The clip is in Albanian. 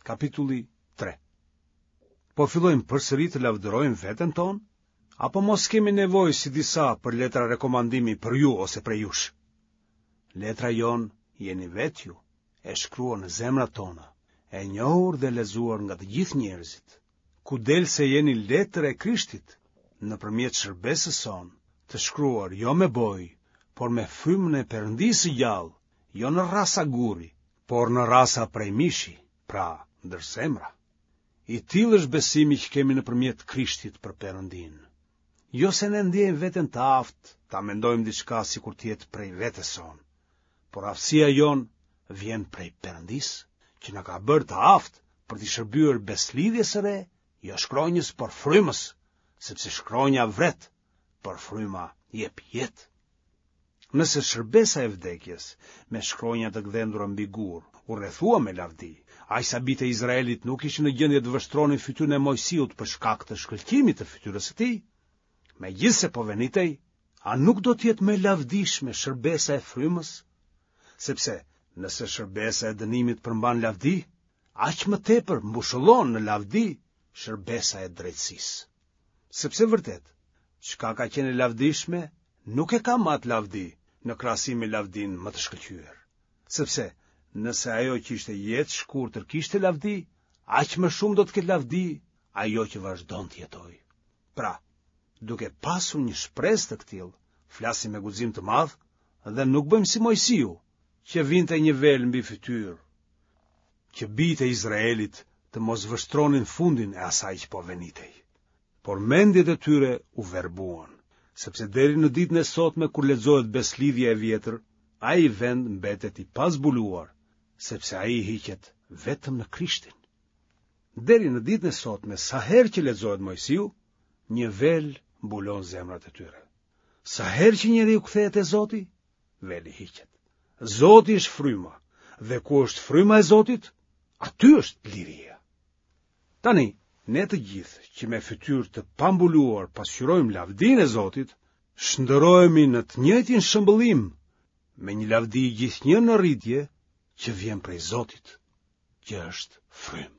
Kapitulli 3. Po fillojmë përsëri të lavdërojmë veten tonë? Apo mos kemi nevojë si disa për letra rekomandimi për ju ose prej jush? Letra jonë jeni vetë ju, e shkruar në zemrat tona, e njohur dhe lexuar nga të gjithë njerëzit, ku del se jeni letër e Krishtit, nëpërmjet shërbesës sonë, të shkruar jo me bojë, por me frymën e Perëndisë së gjallë, jo në rrasa guri, por në rrasa prej mishi, pra ndër zemra. I tillë është besimi që kemi nëpërmjet Krishtit për Perëndinë. Jo se ne ndjejmë veten të aftë ta mendojmë diçka sikur të jetë prej vetes sonë, por aftësia jonë vjen prej Perëndisë, që na ka bërë të aftë për t'i shërbyer besëlidhjes së re, jo shkronjës, por frymës, sepse shkronja vret, por fryma jep jetë. Nëse shërbesa e vdekjes, me shkronja të gdhendura mbi gur, u rrethua me lavdi, aq sa bijtë e Izraelit nuk ishin në gjendje të vështronin fytyrën e Moisiut për shkak të shkëlqimit të fytyrës së tij, megjithëse po venitej, a nuk do të jetë më e lavdishme shërbesa e frymës? Sepse nëse shërbesa e dënimit përmban lavdi, aq më tepër mbushëllon në lavdi shërbesa e drejtësisë. Sepse vërtet, çka ka qenë e lavdishme, nuk e ka më atë lavdi në krahasim me lavdinë më të shkëlqyer. Sepse, nëse ajo që ishte jetëshkurtër kishte lavdi, aq më shumë do të ketë lavdi ajo që vazhdon të jetojë. Pra, duke pasur një shpresë të këtillë, flasim me guxim të madh dhe nuk bëjmë si Moisiu, që vinte një vel mbi fytyrë, që bijtë e Izraelit të mos vështronin fundin e asaj që po venitej. Por mendjet e tyre u verbuan, sepse deri në ditën e sotme kur lexohet besëlidhja e vjetër, ai vend mbetet i pazbuluar, sepse ai hiqet vetëm në Krishtin. Deri në ditën e sotme, sa herë që lexohet Moisiu, një vel mbulon zemrat e tyre. Sa herë që njeriu kthehet te Zoti, veli hiqet. Zoti është fryma, dhe ku është fryma e Zotit, aty është liria. Tani, ne të gjithë që me fytyrë të pambuluar pasqyrojmë lavdinë e Zotit, shndërrohemi në të njëjtin shëmbëllim me një lavdi gjithnjë në rritje që vjen prej Zotit, që është frymë.